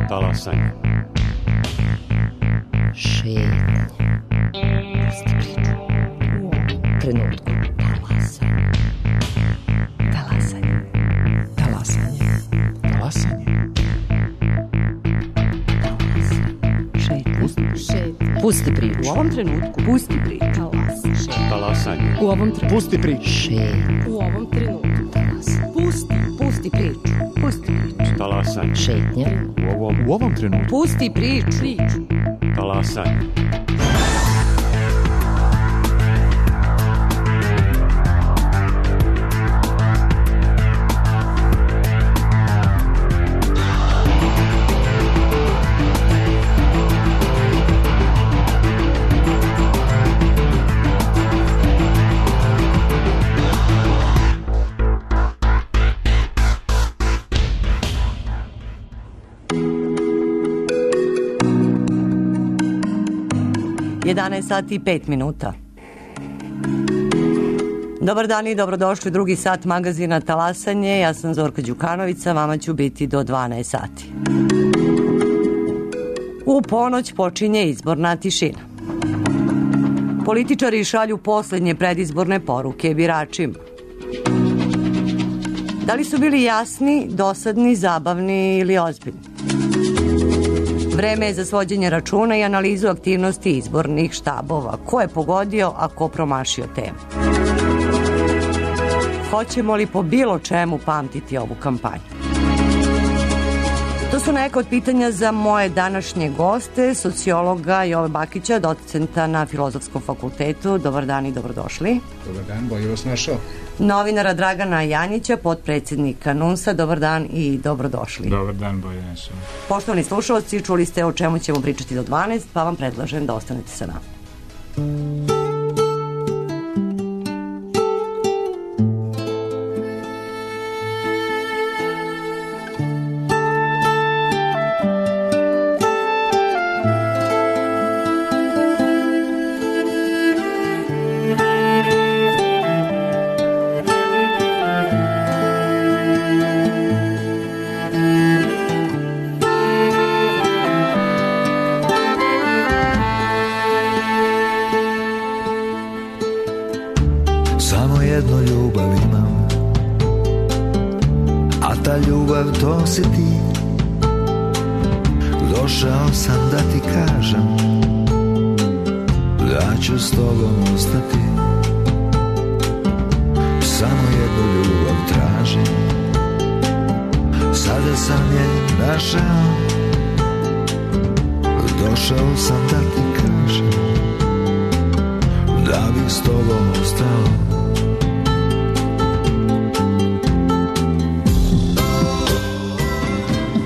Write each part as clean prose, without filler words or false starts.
Talasanje. Šetnje. Pusti priču. U ovom trenutku. Talasanje. Talasanje. Talasanje. Talasanje. Šetnje. Pusti priču. U ovom trenutku. Pusti priču. Talasanje. U ovom trenutku. Pusti priču. Šetnje. U ovom trenutku. Talasanje. Pusti priču. Pusti priču. Talasanje. Šetnje. U ovom trenutku. Pusti priču. Talasanje. Sati i 5 minuta. Dobar dan i dobrodošli u drugi sat magazina Talasanje. Ja sam Zorka Đukanović, vama ću biti do 12 sati. U ponoć počinje izborna tišina. Političari šalju poslednje predizborne poruke biračima. Da li su bili jasni, dosadni, zabavni ili ozbiljni? Vreme je za svođenje računa i analizu aktivnosti izbornih štabova. Ko je pogodio, a ko promašio temu? Hoćemo li po bilo čemu pamtiti ovu kampanju? To su neka od pitanja za moje današnje goste, sociologa Jove Bakića, docenta na Filozofskom fakultetu. Dobar dan i dobrodošli. Dobar dan, bolje vas našao. Novinara Dragana Janjića, potpredsjednika NUNS-a. Dobar dan i dobrodošli. Dobar dan, bolje našao. Poštovani slušalci, čuli ste o čemu ćemo pričati do 12, pa vam predlažem da ostanete sa nama. To si ti, došao sam da ti kažem da ću s tobom ostati. Samo jednu ljubav tražim, sada sam je našao, došao sam da ti kažem da bih s tobom ostao.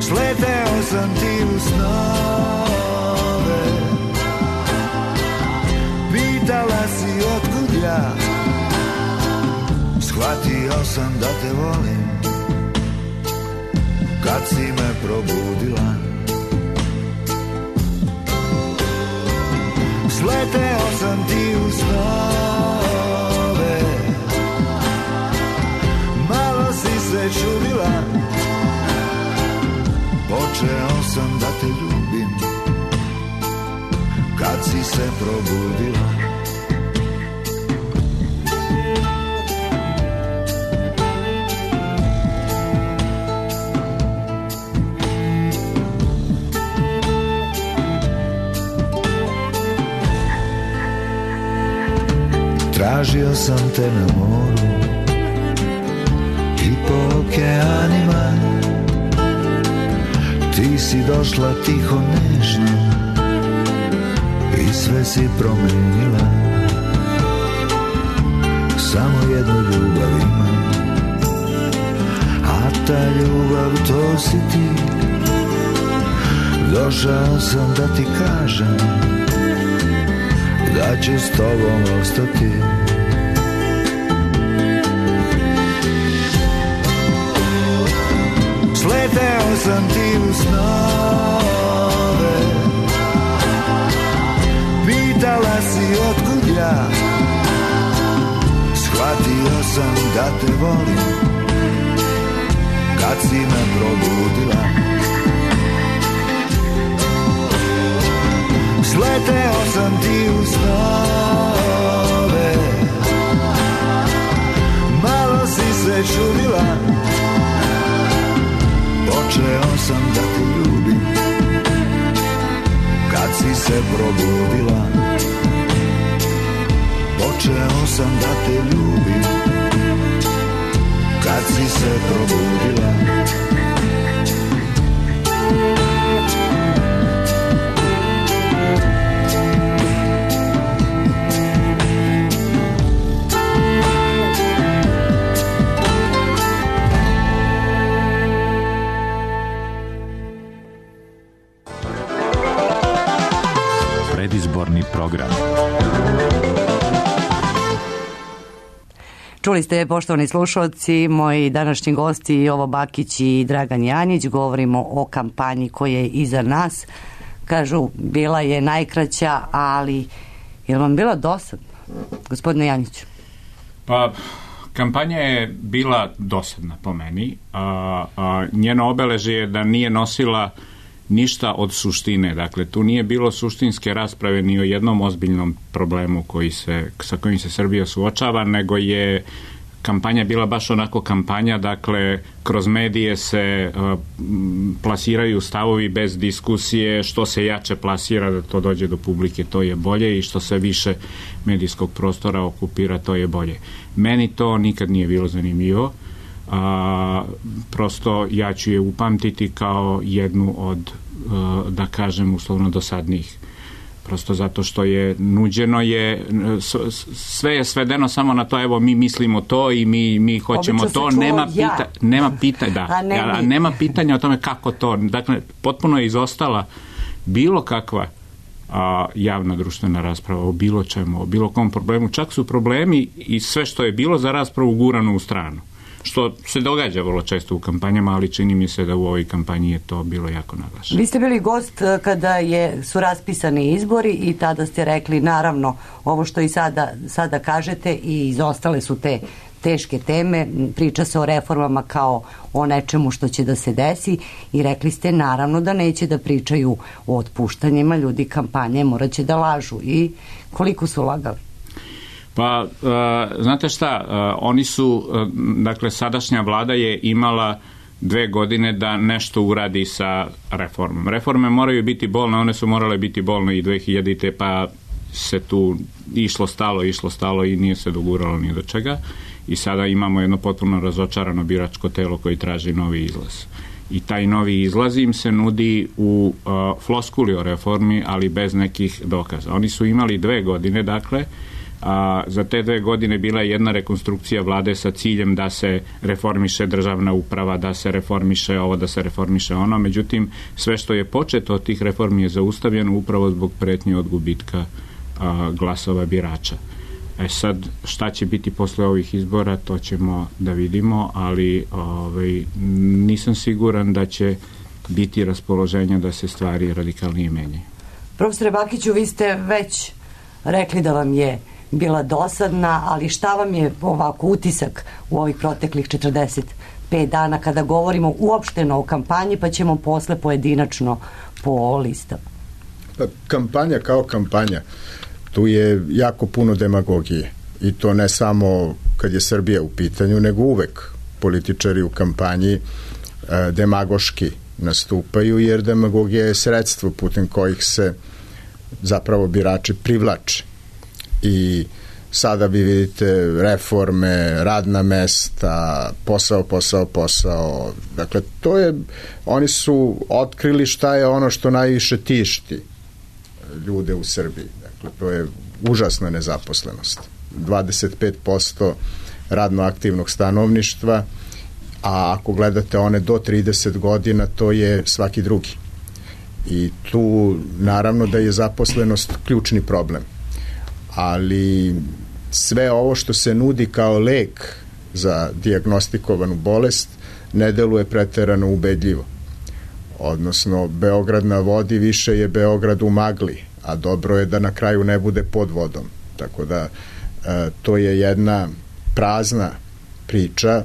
Sleteo sam ti u snove, pitala si otkud ja, shvatio sam da te volim, kad si me probudila. Sleteo sam ti u snove, malo si se čudila, počeo sam da te ljubim, kad si se probudila. Tražio sam te na moru i po okeanima, ti si došla tiho nežno i sve si promenila. Samo jednu ljubav imam, a ta ljubav to si ti. Došao sam da ti kažem da ću s tobom ostati. Sleteo sam ti u snove, pitala si otkud ja, shvatio sam da te volim, kad si me probudila. Sleteo sam ti u snove, malo si se čudila, počeo sam da te ljubim kad si se probudila. Počeo sam da te ljubim kad si se probudila. Predizborni program. Čuli ste, poštovani slušalci, moji današnji gosti Jovo Bakić i Dragan Janjić. Govorimo o kampanji koja je iza nas. Kažu, bila je najkraća, ali je li vam bila dosadna, gospodine Janjiću? Pa, kampanja je bila dosadna po meni. Njeno obeležje je da nije nosila ništa od suštine. Dakle, tu nije bilo suštinske rasprave ni o jednom ozbiljnom problemu sa kojim se Srbija suočava, nego je kampanja bila baš onako kampanja, dakle, kroz medije se plasiraju stavovi bez diskusije, što se jače plasira da to dođe do publike, to je bolje, i što se više medijskog prostora okupira, to je bolje. Meni to nikad nije bilo zanimljivo. Prosto ja ću je upamtiti kao jednu od, da kažem, uslovno dosadnijih. Prosto zato što je nuđeno sve je svedeno samo na to, evo mi mislimo to i mi hoćemo to, nema pitanja o tome kako to. Dakle, potpuno je izostala bilo kakva javna društvena rasprava o bilo čemu, o bilo kom problemu. Čak su problemi i sve što je bilo za raspravu gurano u stranu. Što se događa vrlo često u kampanjama, ali čini mi se da u ovoj kampanji je to bilo jako naglašeno. Vi ste bili gost kada su raspisani izbori i tada ste rekli, naravno, ovo što i sada kažete, i izostale su te teške teme, priča se o reformama kao o nečemu što će da se desi, i rekli ste naravno da neće da pričaju o otpuštanjima, ljudi kampanje morat će da lažu. I koliko su lagali? Pa, znate šta, oni su, dakle, sadašnja vlada je imala 2 godine da nešto uradi sa reformom. Reforme moraju biti bolne, one su morale biti bolne i 2000-te, pa se tu išlo stalo i nije se doguralo ni do čega. I sada imamo jedno potpuno razočarano biračko telo koji traži novi izlaz. I taj novi izlaz im se nudi u floskuli o reformi, ali bez nekih dokaza. Oni su imali 2 godine, dakle, za te 2 godine bila je jedna rekonstrukcija vlade sa ciljem da se reformiše državna uprava, da se reformiše ovo, da se reformiše ono. Međutim, sve što je početo od tih reformi je zaustavljeno upravo zbog pretnje od gubitka glasova birača. Sad, šta će biti posle ovih izbora, to ćemo da vidimo, ali nisam siguran da će biti raspoloženja da se stvari radikalnije menjaju. Profesore Bakiću, vi ste već rekli da vam je bila dosadna, ali šta vam je ovako utisak u ovih proteklih 45 dana kada govorimo uopšteno o kampanji, pa ćemo posle pojedinačno po listama? Pa, kampanja kao kampanja, tu je jako puno demagogije, i to ne samo kad je Srbija u pitanju, nego uvek političari u kampanji demagoški nastupaju, jer demagogija je sredstvo putem kojih se zapravo birači privlače. I sada vi vidite reforme, radna mesta, posao. Dakle, oni su otkrili šta je ono što najviše tišti ljude u Srbiji. Dakle, to je užasna nezaposlenost. 25% radno aktivnog stanovništva, a ako gledate one do 30 godina, to je svaki drugi. I tu naravno da je zaposlenost ključni problem. Ali sve ovo što se nudi kao lek za dijagnostikovanu bolest ne deluje preterano ubedljivo. Odnosno, Beograd na vodi više je Beograd u magli, a dobro je da na kraju ne bude pod vodom. Tako da to je jedna prazna priča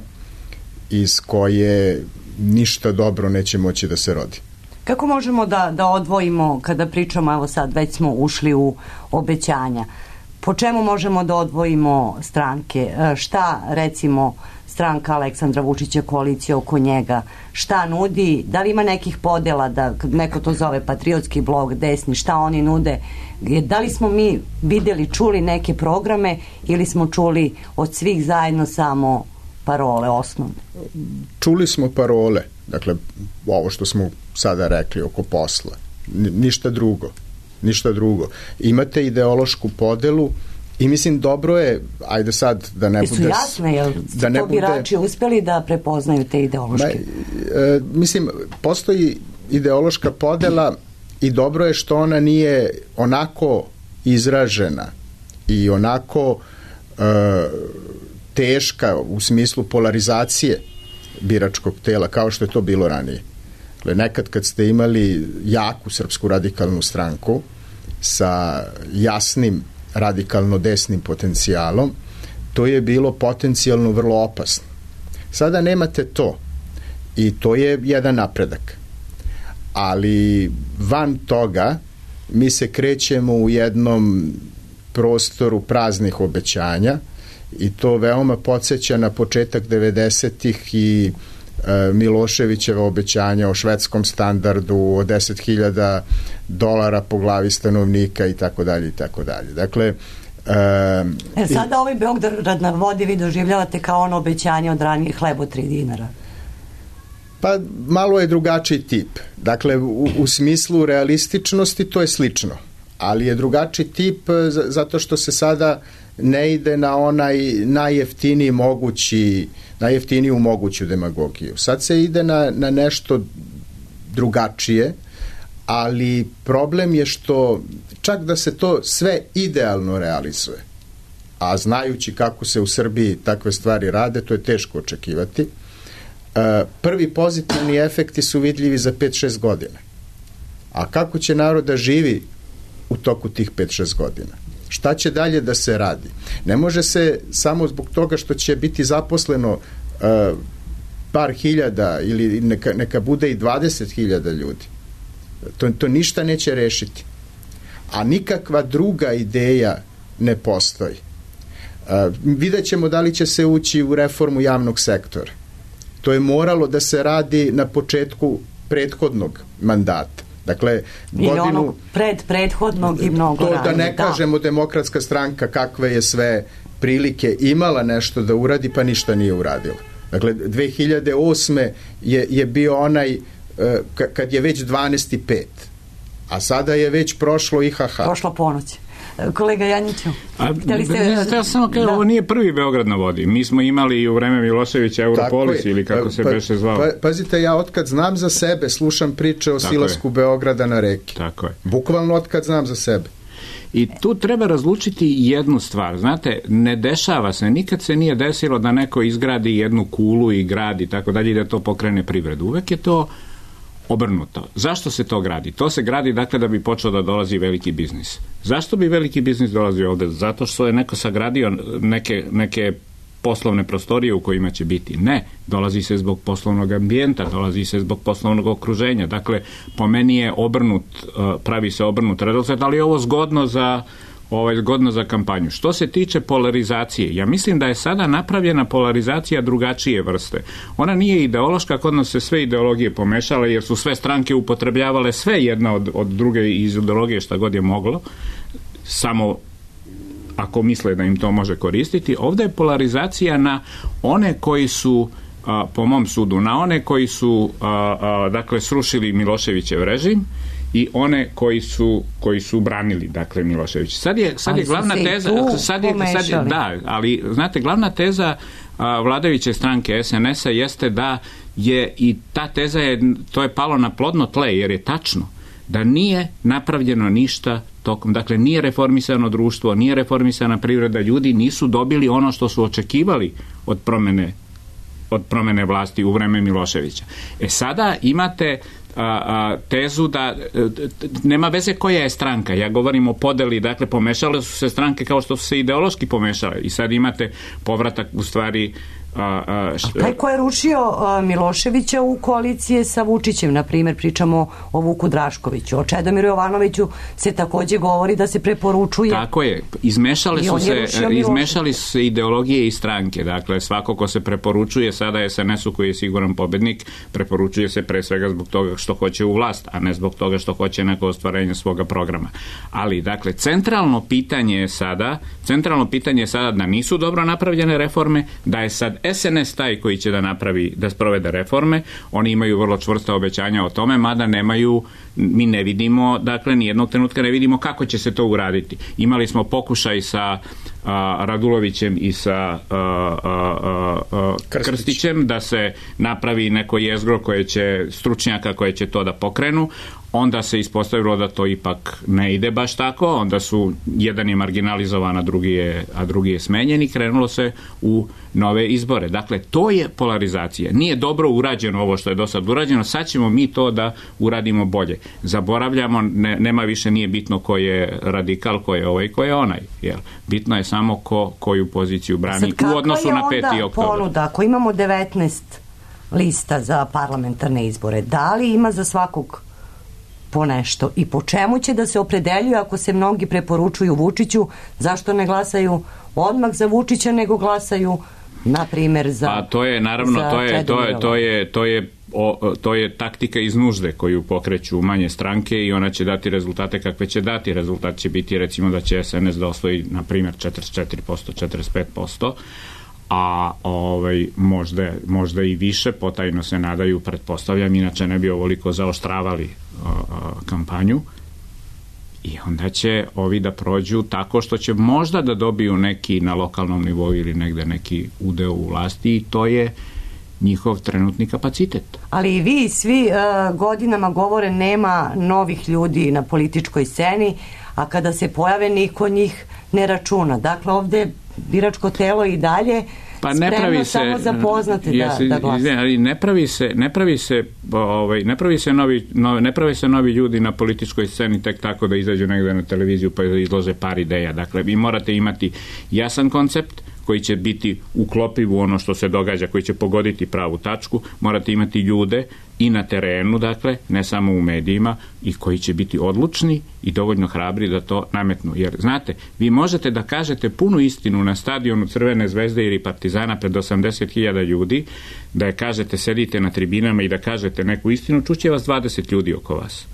iz koje ništa dobro neće moći da se rodi. Kako možemo da odvojimo, kada pričamo, evo sad već smo ušli u obećanja, po čemu možemo da odvojimo stranke? Šta, recimo, stranka Aleksandra Vučića, koalicija oko njega, šta nudi? Da li ima nekih podela, da neko to zove patriotski blok, desni, šta oni nude? Da li smo mi videli, čuli neke programe ili smo čuli od svih zajedno samo parole osnovne? Čuli smo parole, dakle, ovo što smo sada rekli oko posla. Ništa drugo. Imate ideološku podelu i mislim dobro je, ajde sad da ne bude... Su jasne, jel da ne to birači uspeli da prepoznaju te ideološke? Mislim, postoji ideološka podela i dobro je što ona nije onako izražena i onako teška u smislu polarizacije biračkog tela, kao što je to bilo ranije. Nekad kad ste imali jaku Srpsku radikalnu stranku sa jasnim radikalno desnim potencijalom, to je bilo potencijalno vrlo opasno. Sada nemate to i to je jedan napredak. Ali van toga mi se krećemo u jednom prostoru praznih obećanja i to veoma podsjeća na početak 90-ih i Miloševićeva obećanja o švedskom standardu, o $10.000 po glavi stanovnika i tako dalje i tako dalje. Dakle, sada ovaj Beograd na vodi vi doživljavate kao ono obećanje od ranije hleb od $3. Pa malo je drugačiji tip. Dakle, u smislu realističnosti to je slično, ali je drugačiji tip zato što se sada ne ide na onaj najjeftiniju moguću demagogiju. Sad se ide na nešto drugačije, ali problem je što čak da se to sve idealno realizuje, a znajući kako se u Srbiji takve stvari rade, to je teško očekivati, prvi pozitivni efekti su vidljivi za 5-6 godina. A kako će narod da živi u toku tih 5-6 godina? Šta će dalje da se radi? Ne može se samo zbog toga što će biti zaposleno par hiljada ili neka bude i 20.000 ljudi. To ništa neće rešiti. A nikakva druga ideja ne postoji. Vidjet ćemo da li će se ući u reformu javnog sektora. To je moralo da se radi na početku prethodnog mandata. Dakle, ili onog prethodnog i mnogo ranije. To da ne kažemo Demokratska stranka kakve je sve prilike imala nešto da uradi, pa ništa nije uradila. Dakle, 2008. je bio onaj kad je već 12:05, a sada je već prošlo IHH. Prošla ponoć. Kolega Janjiću, ja samo kažem, ovo nije prvi Beograd na vodi. Mi smo imali i u vreme Miloševića Europolis ili kako se beše zvao. Pazite, ja otkad znam za sebe slušam priče o silasku Beograda na reki. Tako je. Bukvalno otkad znam za sebe. I tu treba razlučiti jednu stvar. Znate, ne dešava se, nikad se nije desilo da neko izgradi jednu kulu i gradi tako dalje i da to pokrene privredu. Uvek je to obrnuto. Zašto se to gradi? To se gradi dakle da bi počeo da dolazi veliki biznis. Zašto bi veliki biznis dolazio ovde? Zato što je neko sagradio neke poslovne prostorije u kojima će biti. Ne, dolazi se zbog poslovnog ambijenta, dolazi se zbog poslovnog okruženja. Dakle, po meni je pravi se obrnut redosled, ali je ovo zgodno za kampanju. Što se tiče polarizacije, ja mislim da je sada napravljena polarizacija drugačije vrste. Ona nije ideološka, kod nas se sve ideologije pomešale, jer su sve stranke upotrebljavale sve jedna od druge iz ideologije šta god je moglo, samo ako misle da im to može koristiti. Ovdje je polarizacija na one koji su, po mom sudu, na one koji su dakle srušili Miloševićev režim i one koji su branili dakle Milošević. Sad je glavna teza, ali znate, glavna teza vladajuće stranke SNS-a jeste da je i ta teza to je palo na plodno tle, jer je tačno da nije napravljeno ništa tokom, dakle nije reformisano društvo, nije reformisana privreda, ljudi nisu dobili ono što su očekivali od promene vlasti u vreme Miloševića. Sada imate tezu da nema veze koja je stranka. Ja govorim o podeli, dakle pomešale su se stranke kao što su se ideološki pomešale i sad imate povratak u stvari Taj ko je rušio Miloševića u koalicije sa Vučićem, na primjer, pričamo o Vuku Draškoviću, o Čedomiru Jovanoviću se takođe govori da se preporučuje. Tako je, izmešali su se ideologije i stranke, dakle svako ko se preporučuje sada SNS-u koji je siguran pobednik, preporučuje se pre svega zbog toga što hoće u vlast, a ne zbog toga što hoće neko ostvarenje svoga programa. Ali, dakle, centralno pitanje je sada da nisu dobro napravljene reforme, da je sad SNS taj koji će da sprovede reforme. Oni imaju vrlo čvrsta obećanja o tome, mada mi ne vidimo, dakle nijednog trenutka ne vidimo kako će se to uraditi. Imali smo pokušaj sa Radulovićem i sa Krstićem da se napravi neko jezgro stručnjaka koje će to da pokrenu. Onda se ispostavilo da to ipak ne ide baš tako, onda su jedan je marginalizovan, a drugi je smenjen i krenulo se u nove izbore. Dakle, to je polarizacija. Nije dobro urađeno ovo što je do sad urađeno, sad ćemo mi to da uradimo bolje. Zaboravljamo, nema više, nije bitno ko je radikal, ko je ovaj, ko je onaj. Jel? Bitno je samo koju poziciju brani u odnosu na 5. oktobar. Ponuda, ako imamo 19 lista za parlamentarne izbore, da li ima za svakog po nešto i po čemu će da se opredeljuju ako se mnogi preporučuju Vučiću, zašto ne glasaju odmah za Vučića nego glasaju na primjer za a to je naravno to je taktika iz nužde koju pokreću manje stranke i ona će dati rezultate kakve će dati. Rezultat će biti recimo da će SNS da osvoji na primjer 44%, 45%, a možda i više, potajno se nadaju, pretpostavljam, inače ne bi ovoliko zaoštravali kampanju, i onda će ovi da prođu tako što će možda da dobiju neki na lokalnom nivou ili negde neki udeo u vlasti, i to je njihov trenutni kapacitet. Ali i vi svi godinama govore nema novih ljudi na političkoj sceni, a kada se pojave niko njih ne računa. Dakle, ovde biračko telo i dalje spremno samo za poznate da glasa. Ne pravi se novi ljudi na političkoj sceni tek tako da izađu negde na televiziju pa da izlože par ideja. Dakle, vi morate imati jasan koncept koji će biti uklopiv u ono što se događa, koji će pogoditi pravu tačku. Morate imati ljude i na terenu, dakle, ne samo u medijima, i koji će biti odlučni i dovoljno hrabri da to nametnu. Jer, znate, vi možete da kažete punu istinu na stadionu Crvene zvezde ili Partizana pred 80.000 ljudi, da je kažete, sedite na tribinama i da kažete neku istinu, čuće vas 20 ljudi oko vas.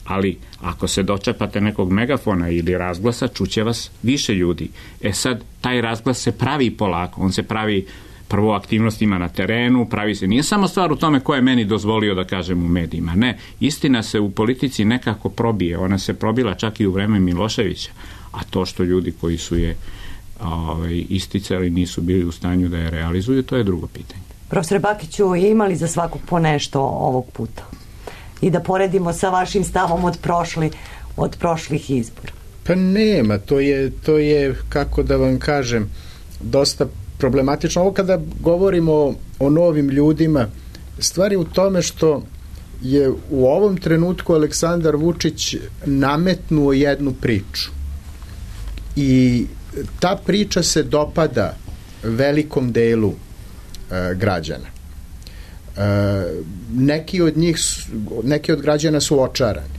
Ali ako se dočepate nekog megafona ili razglasa, čuće vas više ljudi. Sad, taj razglas se pravi polako, on se pravi prvo aktivnostima na terenu, pravi se, nije samo stvar u tome ko je meni dozvolio da kažem u medijima, ne, istina se u politici nekako probije, ona se probila čak i u vreme Miloševića, a to što ljudi koji su je isticali nisu bili u stanju da je realizuju, to je drugo pitanje. Profesor Bakiću, imali za svakog po nešto ovog puta? I da poredimo sa vašim stavom od prošlih izbora. Pa nema, to je, kako da vam kažem, dosta problematično. Ovo kada govorimo o novim ljudima, stvar je u tome što je u ovom trenutku Aleksandar Vučić nametnuo jednu priču. I ta priča se dopada velikom delu građana. Neki od građana su očarani.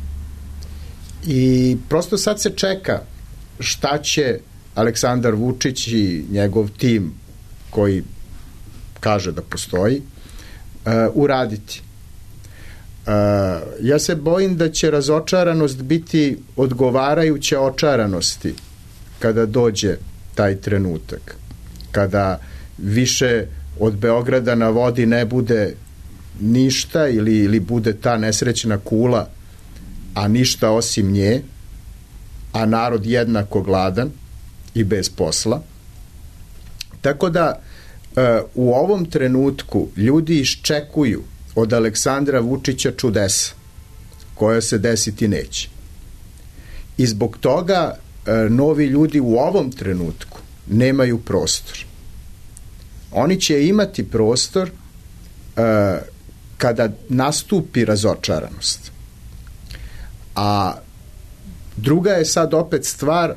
I prosto sad se čeka šta će Aleksandar Vučić i njegov tim koji kaže da postoji uraditi. Ja se bojim da će razočaranost biti odgovarajuća očaranosti kada dođe taj trenutak. Kada više od Beograda na vodi ne bude ništa ili bude ta nesrećna kula, a ništa osim nje, a narod jednako gladan i bez posla. Tako da u ovom trenutku ljudi iščekuju od Aleksandra Vučića čudesa koja se desiti neće. I zbog toga novi ljudi u ovom trenutku nemaju prostor. Oni će imati prostor kada nastupi razočaranost. A druga je sad opet stvar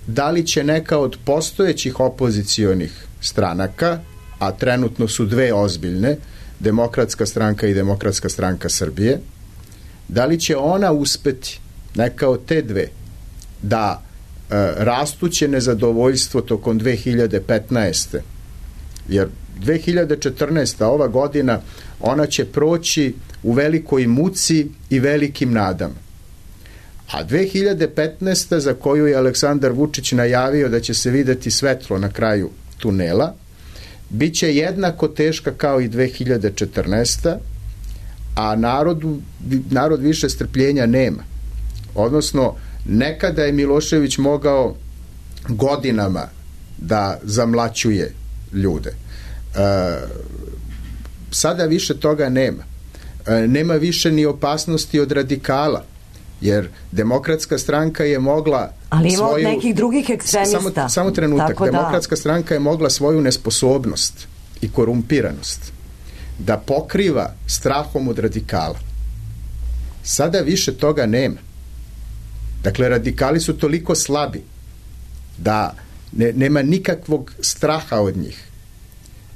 da li će neka od postojećih opozicionih stranaka a trenutno su dve ozbiljne, Demokratska stranka i Demokratska stranka Srbije, da li će ona uspeti, neka od te dve, da rastuće nezadovoljstvo tokom 2015. jer 2014. ova godina, ona će proći u velikoj muci i velikim nadama. A 2015. za koju je Aleksandar Vučić najavio da će se videti svetlo na kraju tunela, bit će jednako teška kao i 2014. a narod više strpljenja nema. Odnosno, nekada je Milošević mogao godinama da zamlaćuje ljude. Sada više toga nema. Nema više ni opasnosti od radikala, jer Demokratska stranka je mogla ali ima od nekih drugih ekstremista. Samo trenutak. Demokratska stranka je mogla svoju nesposobnost i korumpiranost da pokriva strahom od radikala. Sada više toga nema. Dakle, radikali su toliko slabi da nema nikakvog straha od njih.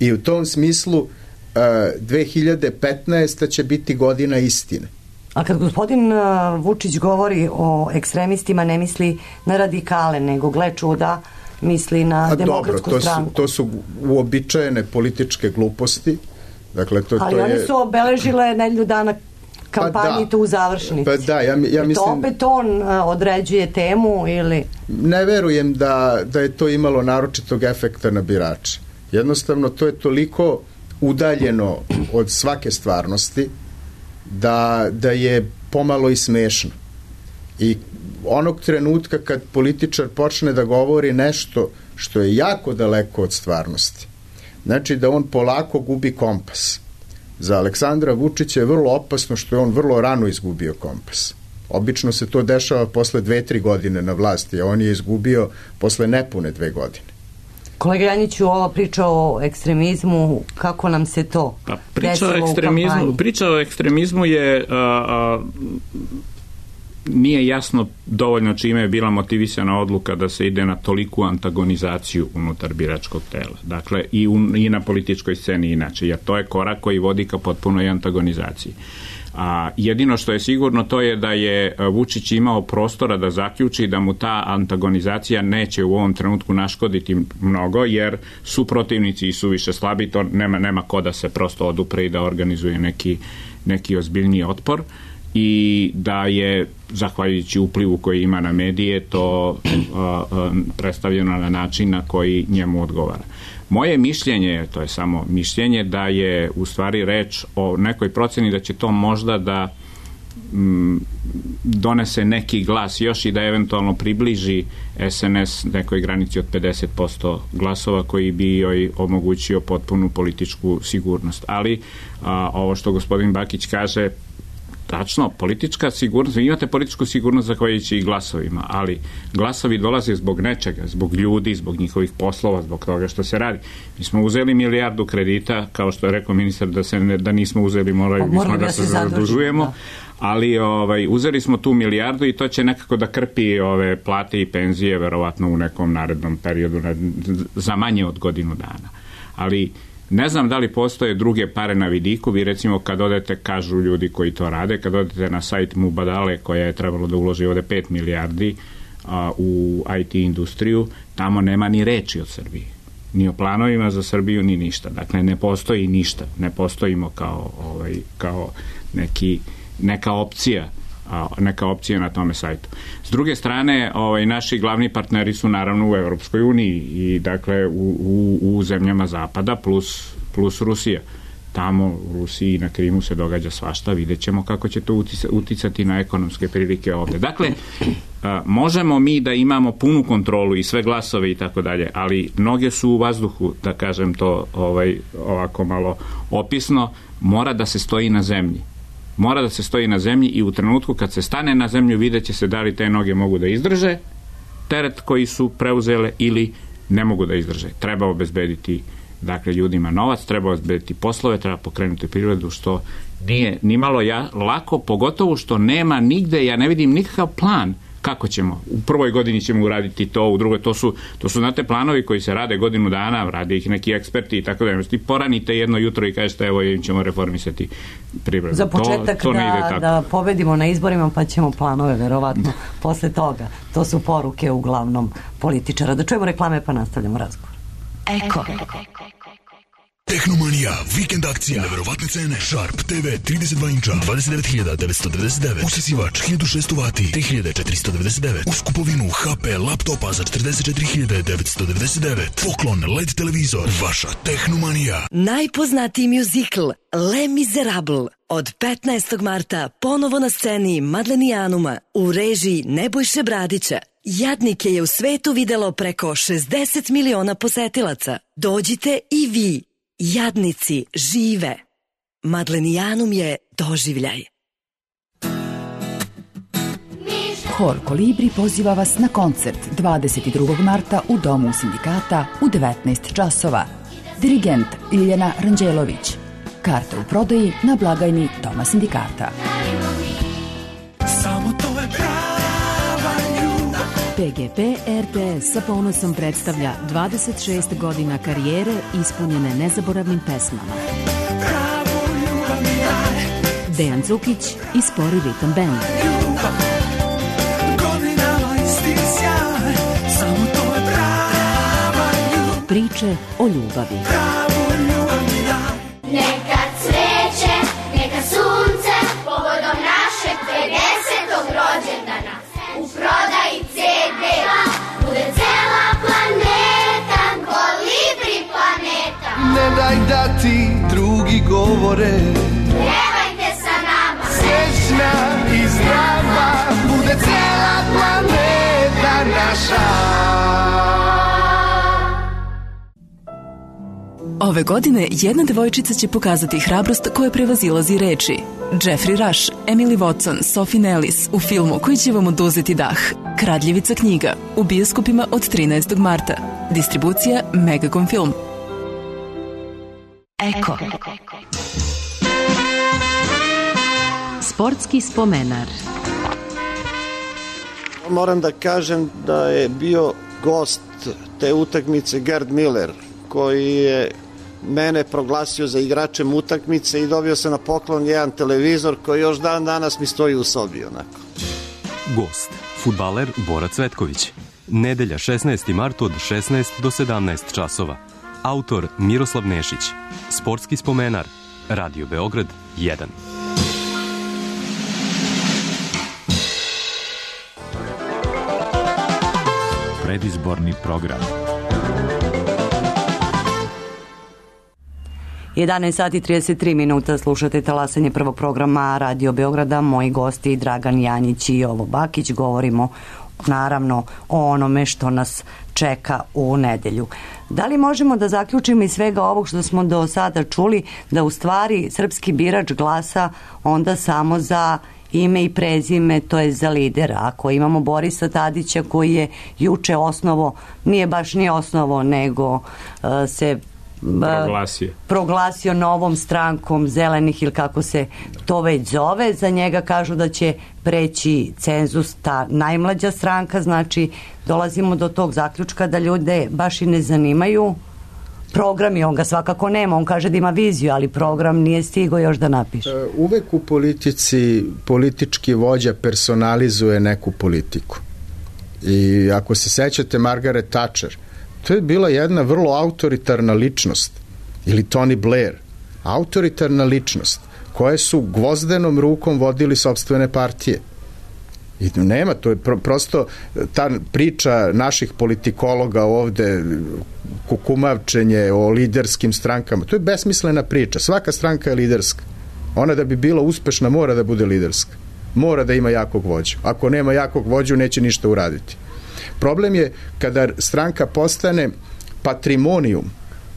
I u tom smislu 2015. će biti godina istine. A kad gospodin Vučić govori o ekstremistima, ne misli na radikale, nego gle čuda, misli na Demokratsku stranku. To su uobičajene političke gluposti. Dakle, ali oni su obeležile nedelju dana kampanji tu u završnici. Pa da, ja mislim... To opet on određuje temu ili... Ne verujem da je to imalo naročitog efekta na birače. Jednostavno, to je toliko udaljeno od svake stvarnosti da je pomalo i smešno. I onog trenutka kad političar počne da govori nešto što je jako daleko od stvarnosti, znači da on polako gubi kompas. Za Aleksandra Vučića je vrlo opasno što je on vrlo rano izgubio kompas. Obično se to dešava posle 2-3 godine na vlasti, a on je izgubio posle nepune 2 godine. Kolega Janjiću, ova priča o ekstremizmu, kako nam se to desilo u kampanji? Priča o ekstremizmu je nije jasno dovoljno čime je bila motivisana odluka da se ide na toliku antagonizaciju unutar biračkog tela. Dakle, i na političkoj sceni inače, jer to je korak koji vodi ka potpunoj antagonizaciji. A jedino što je sigurno to je da je Vučić imao prostora da zaključi da mu ta antagonizacija neće u ovom trenutku naškoditi mnogo, jer su protivnici i su više slabi, to nema ko da se prosto odupre i da organizuje neki ozbiljniji otpor, i da je, zahvaljujući uplivu koji ima na medije, to predstavljeno na način na koji njemu odgovara. Moje mišljenje, to je samo mišljenje, da je u stvari reč o nekoj proceni da će to možda da donese neki glas još i da eventualno približi SNS nekoj granici od 50% glasova koji bi joj omogućio potpunu političku sigurnost. Ali ovo što gospodin Bakić kaže, tačno, politička sigurnost, vi imate političku sigurnost zahvaljujući i glasovima, ali glasovi dolaze zbog nečega, zbog ljudi, zbog njihovih poslova, zbog toga što se radi. Mi smo uzeli milijardu kredita, kao što je rekao ministar, da nismo uzeli, moramo da se zadužujemo, ali uzeli smo tu milijardu i to će nekako da krpi ove plate i penzije, verovatno u nekom narednom periodu, za manje od godinu dana. Ali ne znam da li postoje druge pare na vidiku. Vi recimo kad odete, kažu ljudi koji to rade, kad odete na sajt Mubadale koja je trebalo da uloži ovde 5 milijardi u IT industriju, tamo nema ni reči o Srbiji. Ni o planovima za Srbiju, ni ništa. Dakle, ne postoji ništa. Ne postojimo kao neka opcija na tome sajtu. S druge strane, naši glavni partneri su naravno u Evropskoj uniji i dakle u zemljama Zapada plus Rusija. Tamo u Rusiji i na Krimu se događa svašta, vidjet ćemo kako će to uticati na ekonomske prilike ovde. Dakle, možemo mi da imamo punu kontrolu i sve glasove i tako dalje, ali noge su u vazduhu, da kažem to ovako malo opisno, mora da se stoji na zemlji. Mora da se stoji na zemlji i u trenutku kad se stane na zemlju vidjet će se da li te noge mogu da izdrže teret koji su preuzele ili ne mogu da izdrže. Treba obezbediti ljudima novac, treba obezbediti poslove, treba pokrenuti privredu, što nije nimalo lako, pogotovo što nema nigde, ja ne vidim nikakav plan kako ćemo? U prvoj godini ćemo uraditi to, u drugoj, to su znate planovi koji se rade godinu dana, rade ih neki eksperti i tako da. Ti poranite jedno jutro i kažete evo im ćemo reformisati privredu. Za početak to ne ide tako. Da pobedimo na izborima pa ćemo planove verovatno posle toga. To su poruke uglavnom političara. Da čujemo reklame pa nastavljamo razgovor. Eko. Tehnomanija, vikend akcija, neverovatne cene, Sharp TV 32 inča, 29.999, usisivač 1600 vati, 3.499, uz kupovinu HP laptopa za 44.999, poklon LED televizor, vaša Tehnomanija. Najpoznatiji mjuzikl Les Miserables od 15. marta ponovo na sceni Madlenijanuma u režiji Nebojše Bradića. Jadnike je u svetu videlo preko 60 miliona posetilaca. Dođite i vi. Jadnici žive. Madlenijanum je doživljaj. Hor Kolibri poziva vas na koncert 22. marta u Domu sindikata u 19 časova. Dirigent Ljiljana Ranđelović. Karte u prodaji na blagajni Doma sindikata. PGP RTS sa ponosom predstavlja 26 godina karijere ispunjene nezaboravnim pesmama. Dejan Cukić i Spori ritam band. Priče o ljubavi. Neka cveće, neka sunce, povodom našeg 50. rođendana. U prodaji CD-a bude cela planeta, Kolibri planeta. Ne daj da ti drugi govore, pevajte sa nama. Srećna i zdrava bude cela planeta naša. Ove godine jedna devojčica će pokazati hrabrost koja prevazilazi reči. Jeffrey Rush, Emily Watson, Sophie Nellis u filmu koji će vam oduzeti dah. Kradljivica knjiga u bioskopima od 13. marta. Distribucija Megacom Film. Eko. Sportski spomenar. Moram da kažem da je bio gost te utakmice Gerd Miller, koji je mene proglasio za igračem utakmice i dobio sam na poklon jedan televizor koji još dan danas mi stoji u sobi onako. Gost, fudbaler Bora Cvetković. Nedelja 16. mart od 16 do 17 časova. Autor Miroslav Nešić. Sportski spomenar. Radio Beograd 1. Predizborni program. 11 sati 33 minuta, slušate talasanje prvog programa Radio Beograda. Moji gosti Dragan Janjić i Jovo Bakić. Govorimo naravno o onome što nas čeka u nedelju. Da li možemo da zaključimo iz svega ovog što smo do sada čuli da u stvari srpski birač glasa onda samo za ime i prezime, to je za lidera. Ako imamo Borisa Tadića koji je juče osnovo, nije baš ni osnovo, nego se proglasio novom strankom zelenih ili kako se to već zove, za njega kažu da će preći cenzus, ta najmlađa stranka, znači dolazimo do tog zaključka da ljude baš i ne zanimaju programi, on ga svakako nema, on kaže da ima viziju, ali program nije stigao još da napiše. Uvek u politici politički vođa personalizuje neku politiku. I ako se sećate Margaret Thatcher, to je bila jedna vrlo autoritarna ličnost, ili Tony Blair, autoritarna ličnost, koje su gvozdenom rukom vodili sopstvene partije. I nema, to je prosto ta priča naših politikologa ovde, kukumavčenje o liderskim strankama, to je besmislena priča. Svaka stranka je liderska. Ona da bi bila uspešna mora da bude liderska. Mora da ima jakog vođu. Ako nema jakog vođu, neće ništa uraditi. Problem je kada stranka postane patrimonijum,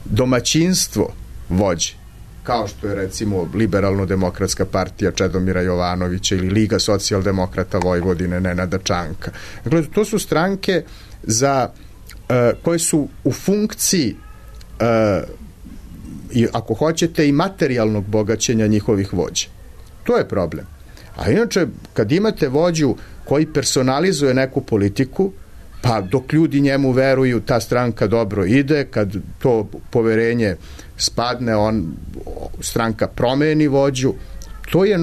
domaćinstvo vođe, kao što je recimo Liberalno-demokratska partija Čedomira Jovanovića ili Liga socijaldemokrata Vojvodine Nenada Čanka. Dakle, to su stranke koje su u funkciji i ako hoćete i materijalnog bogaćenja njihovih vođa. To je problem. A inače, kad imate vođu koji personalizuje neku politiku, pa dok ljudi njemu veruju, ta stranka dobro ide, kad to poverenje spadne, stranka promeni vođu, to je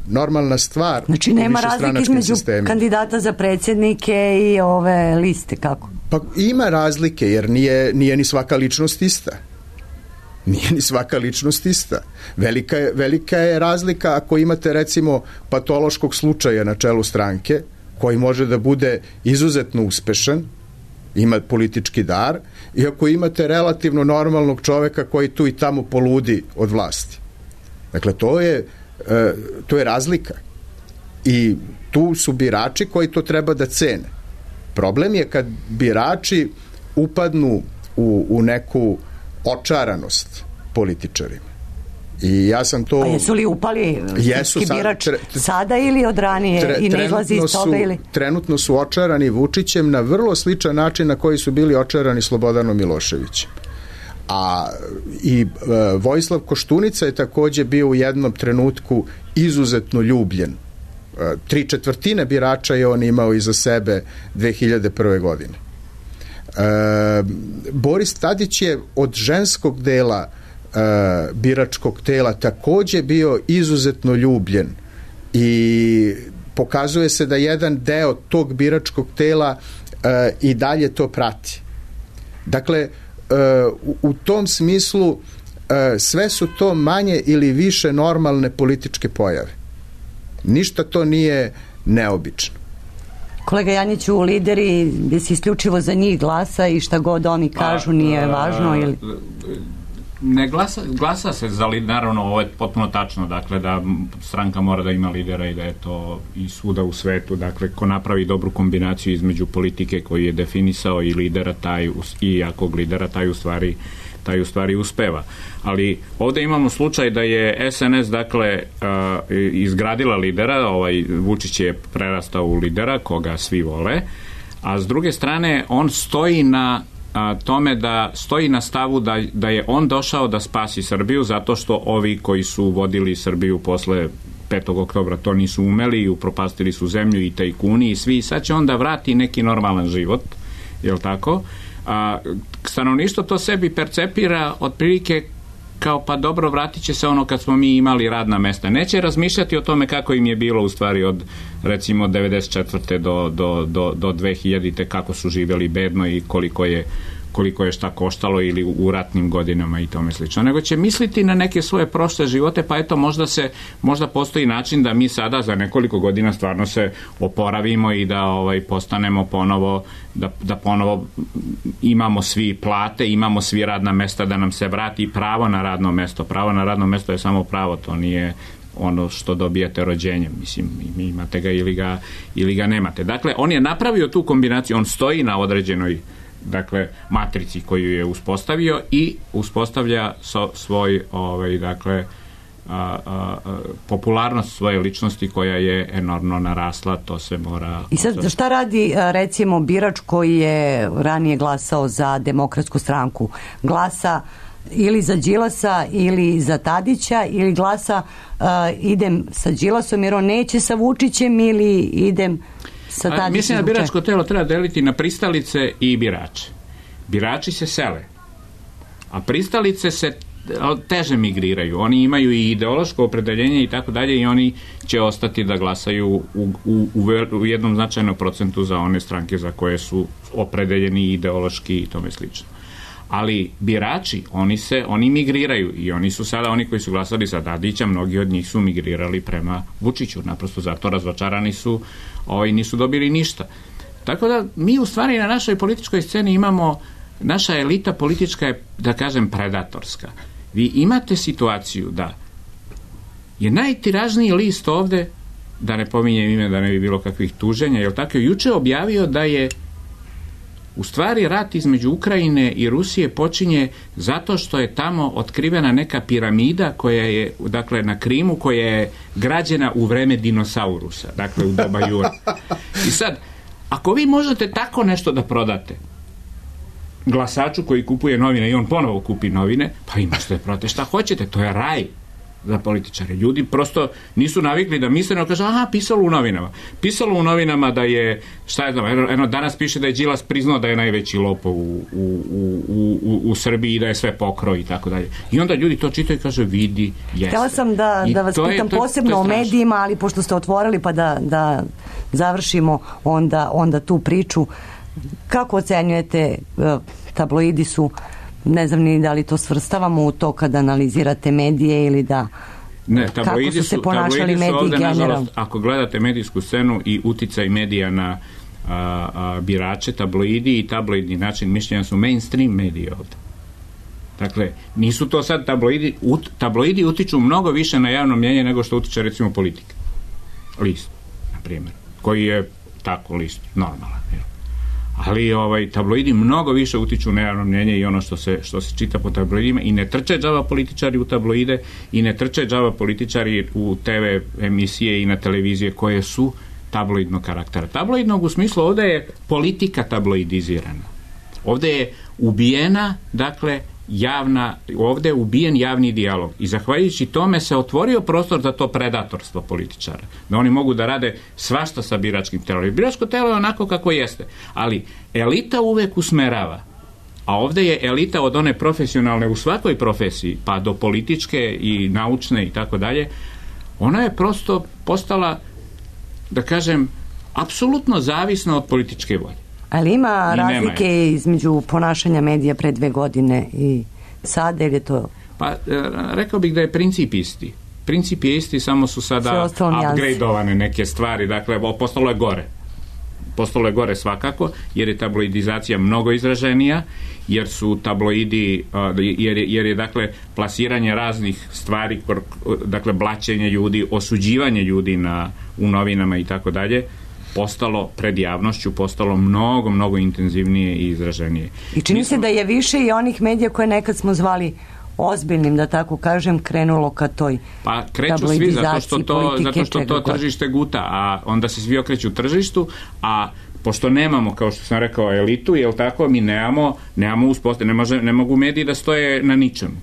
normalna stvar. Znači nema razlike između kandidata za predsjednike i ove liste, kako? Pa ima razlike, jer nije ni svaka ličnost ista. Nije ni svaka ličnost ista. Velika je razlika ako imate recimo patološkog slučaja na čelu stranke, koji može da bude izuzetno uspešan, ima politički dar, i ako imate relativno normalnog čoveka koji tu i tamo poludi od vlasti. Dakle, to je razlika. I tu su birači koji to treba da cene. Problem je kad birači upadnu u neku očaranost političarima. I ja sam to... A jesu li upali birač sada ili od ranije i ne izlazi iz toga ili... Trenutno su očarani Vučićem na vrlo sličan način na koji su bili očarani Slobodanom Miloševićem. A i Vojislav Koštunica je takođe bio u jednom trenutku izuzetno ljubljen. 3/4 birača je on imao iza sebe 2001. godine. Boris Tadić je od ženskog dela biračkog tela takođe bio izuzetno ljubljen i pokazuje se da jedan deo tog biračkog tela i dalje to prati. Dakle, u tom smislu sve su to manje ili više normalne političke pojave. Ništa to nije neobično. Kolega Janjiću, lideri, gde si isključivo za njih glasa i šta god oni kažu nije važno ili... Ne glasa se za lidera, naravno ovo je potpuno tačno, dakle da stranka mora da ima lidera i da je to i svuda u svetu, dakle ko napravi dobru kombinaciju između politike koju je definisao i lidera i jakog lidera taj u stvari uspeva. Ali ovde imamo slučaj da je SNS dakle izgradila lidera, Vučić je prerastao u lidera koga svi vole, a s druge strane on stoji na tome da stoji na stavu da je on došao da spasi Srbiju zato što ovi koji su vodili Srbiju posle 5. oktobra to nisu umeli i upropastili su zemlju i tajkuni i svi, sad će onda vrati neki normalan život, jel tako? Stanovništvo to sebi percepira otprilike kao pa dobro, vratit će se ono kad smo mi imali radna mesta. Neće razmišljati o tome kako im je bilo u stvari od recimo 94. do 2000. kako su živjeli bedno i koliko je šta koštalo ili u ratnim godinama i tome slično. Nego će misliti na neke svoje prošle živote, pa eto možda postoji način da mi sada za nekoliko godina stvarno se oporavimo i da postanemo ponovo da ponovo imamo svi plate, imamo svi radna mesta, da nam se vrati pravo na radno mesto. Pravo na radno mesto je samo pravo, to nije ono što dobijate rođenjem, mislim, imate ga ili ga nemate. Dakle, on je napravio tu kombinaciju, on stoji na određenoj matrici koju je uspostavio i uspostavlja svoj popularnost svoje ličnosti koja je enormno narasla, to se mora... I sad šta radi recimo birač koji je ranije glasao za Demokratsku stranku? Glasa ili za Đilasa ili za Tadića ili glasa idem sa Đilasom jer on neće sa Vučićem ili idem sa Tadićem? Mislim da biračko telo treba deliti na pristalice i birače. Birači se sele, a pristalice se teže migriraju. Oni imaju i ideološko opredeljenje i tako dalje i oni će ostati da glasaju u jednom značajnom procentu za one stranke za koje su opredeljeni ideološki i tome slično. Ali birači, oni migriraju i oni su sada, oni koji su glasali za Tadića, mnogi od njih su migrirali prema Vučiću, naprosto zato razočarani su, nisu dobili ništa. Tako da mi u stvari na našoj političkoj sceni imamo, naša elita politička je, da kažem, predatorska. Vi imate situaciju da je najtiražniji list ovde, da ne pominjem ime, da ne bi bilo kakvih tuženja, jer tako je juče objavio da je u stvari rat između Ukrajine i Rusije počinje zato što je tamo otkrivena neka piramida koja je, dakle, na Krimu, koja je građena u vreme dinosaurusa, dakle u doba Jura. I sad, ako vi možete tako nešto da prodate glasaču koji kupuje novine i on ponovo kupi novine, pa imate da prodate šta hoćete, to je raj. za političare. Ljudi prosto nisu navikli da misle, nego kažu, aha, pisalo u novinama. Pisalo u novinama da je, šta je znam, danas piše da je Đilas priznao da je najveći lopov u Srbiji i da je sve pokrao i tako dalje. I onda ljudi to čitaju i kaže, vidi, jeste. Htjela sam da vas pitam posebno o medijima, ali pošto ste otvorili pa da završimo onda tu priču. Kako ocenjujete, tabloidi su, ne znam ni da li to svrstavamo u to kada analizirate medije ili da... Ne, kako su se ponašali mediji generalno? Ako gledate medijsku scenu i uticaj medija na birače, tabloidi i tabloidni način mišljenja su mainstream mediji ovde. Dakle, nisu to sad tabloidi utiču mnogo više na javno mnjenje nego što utiče recimo politika. List, na primjer, koji je tako list normalan. Ali tabloidi mnogo više utiču na javno mnjenje i ono što se čita po tabloidima i ne trče džava političari u tabloide i ne trče džava političari u TV emisije i na televizije koje su tabloidnog karaktera. Tabloidnog u smislu ovde je politika tabloidizirana. Ovde je ubijena, dakle, ovde je ubijen javni dijalog i zahvaljujući tome se otvorio prostor za to predatorstvo političara, da oni mogu da rade svašta sa biračkim telom. Biračko telo je onako kako jeste, ali elita uvek usmerava, a ovde je elita od one profesionalne u svakoj profesiji, pa do političke i naučne i tako dalje, ona je prosto postala, da kažem, apsolutno zavisna od političke volje. Ali ima razlike između ponašanja medija pre 2 godine i sada, ili je to... Pa, rekao bih da je princip isti. Princip je isti, samo su sada upgradeovane neke stvari. Dakle, postalo je gore. Postalo je gore svakako, jer je tabloidizacija mnogo izraženija, jer su tabloidi, jer je dakle plasiranje raznih stvari, dakle blaćenje ljudi, osuđivanje ljudi u novinama i tako dalje, postalo pred javnošću, postalo mnogo, mnogo intenzivnije i izraženije. I čini se da je više i onih medija koje nekad smo zvali ozbiljnim, da tako kažem, krenulo ka toj tabloidizaciji, zato što to tržište guta, a onda se svi okreću tržištu, a pošto nemamo, kao što sam rekao, elitu, jel tako, mi nemamo uspostavljeno, ne mogu mediji da stoje na ničemu,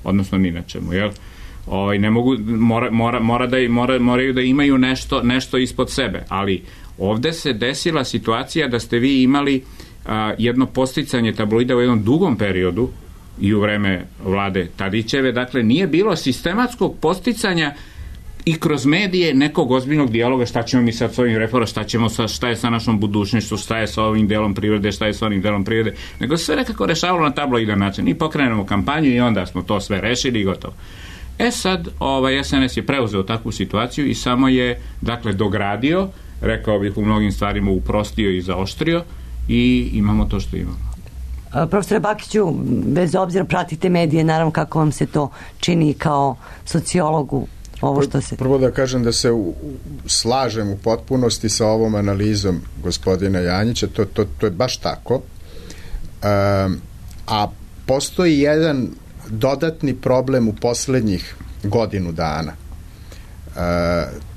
odnosno ni na čemu, jel? Ne mogu, moraju da imaju nešto ispod sebe, ali ovde se desila situacija da ste vi imali jedno podsticanje tabloida u jednom dugom periodu i u vreme vlade Tadićeve, dakle nije bilo sistematskog podsticanja i kroz medije nekog ozbiljnog dijaloga, šta ćemo mi sad s ovim reformama, šta je sa našom budućnošću, šta je sa ovim delom privrede, šta je sa onim delom privrede, nego se sve nekako rešavalo na tabloidan način i pokrenemo kampanju i onda smo to sve rešili i gotovo. Sad, SNS je preuzeo takvu situaciju i samo je, dakle, dogradio, rekao bih u mnogim stvarima uprostio i zaoštrio i imamo to što imamo. Profesore Bakiću, bez obzira pratite medije, naravno kako vam se to čini kao sociologu, ovo što se... Prvo da kažem da se slažem u potpunosti sa ovom analizom gospodina Janjića, to je baš tako, a postoji jedan dodatni problem u poslednjih godinu dana.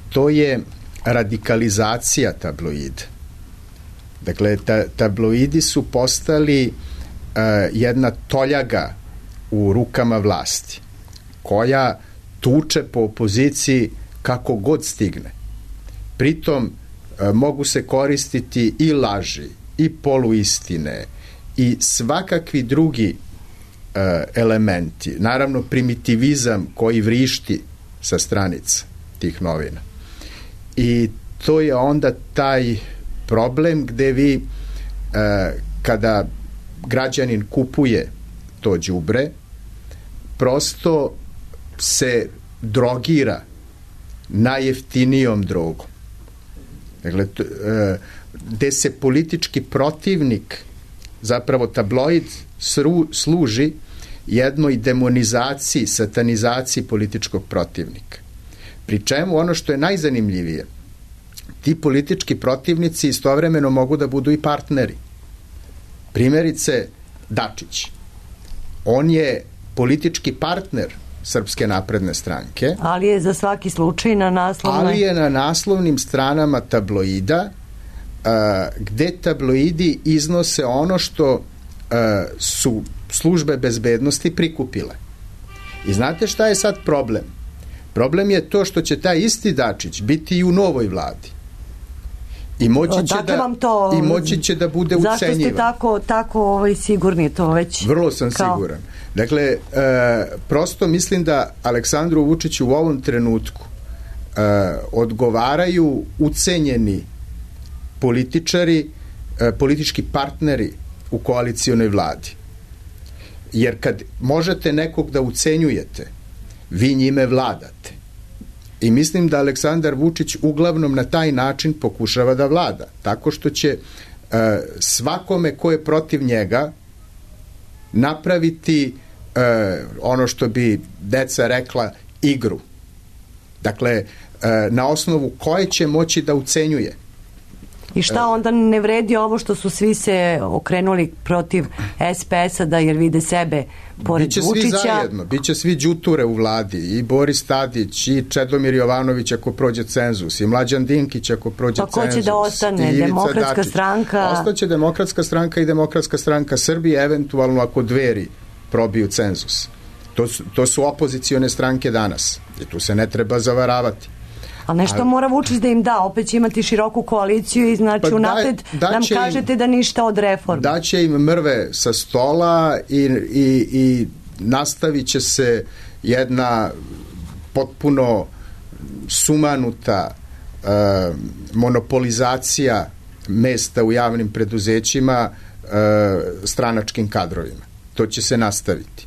To je radikalizacija tabloida. Dakle, tabloidi su postali jedna toljaga u rukama vlasti, koja tuče po opoziciji kako god stigne. Pritom mogu se koristiti i laži, i poluistine, i svakakvi drugi elementi. Naravno, primitivizam koji vrišti sa stranica tih novina. I to je onda taj problem gde vi kada građanin kupuje to đubre, prosto se drogira najjeftinijom drogom. Dakle, gde se politički protivnik, zapravo tabloid, služi jednoj demonizaciji, satanizaciji političkog protivnika. Pri čemu ono što je najzanimljivije, ti politički protivnici istovremeno mogu da budu i partneri. Primjerice, Dačić. On je politički partner Srpske napredne stranke. Ali je za svaki slučaj na naslovnoj... Ali je na naslovnim stranama tabloida, gde tabloidi iznose ono što su službe bezbednosti prikupile. I znate šta je sad problem? Problem je to što će taj isti Dačić biti i u novoj vladi. I moći će da bude ucenjivan. Zašto ste tako sigurni to već? Vrlo sam siguran. Dakle, prosto mislim da Aleksandru Vučiću u ovom trenutku odgovaraju ucenjeni političari, politički partneri u koalicionoj vladi. Jer kad možete nekog da ucenjujete, vi njime vladate. I mislim da Aleksandar Vučić uglavnom na taj način pokušava da vlada. Tako što će svakome ko je protiv njega napraviti ono što bi deca rekla igru. Dakle, na osnovu koje će moći da ucenjuje. I šta onda ne vredi ovo što su svi se okrenuli protiv SPS-a da jer vide sebe pored Vučića? Biće svi zajedno, biće svi đuture u vladi, i Boris Tadić, i Čedomir Jovanović ako prođe cenzus, i Mlađan Dinkić ako prođe cenzus. Pa ko će da ostane? Demokratska stranka? Ostaće Demokratska stranka i Demokratska stranka Srbije, eventualno ako Dveri probiju cenzus. To su opozicione stranke danas i tu se ne treba zavaravati. A nešto mora Vučić da im da, opet će imati široku koaliciju i znači unapred nam kažete da ništa od reforme. Daće im mrve sa stola i nastavit će se jedna potpuno sumanuta monopolizacija mesta u javnim preduzećima stranačkim kadrovima. To će se nastaviti.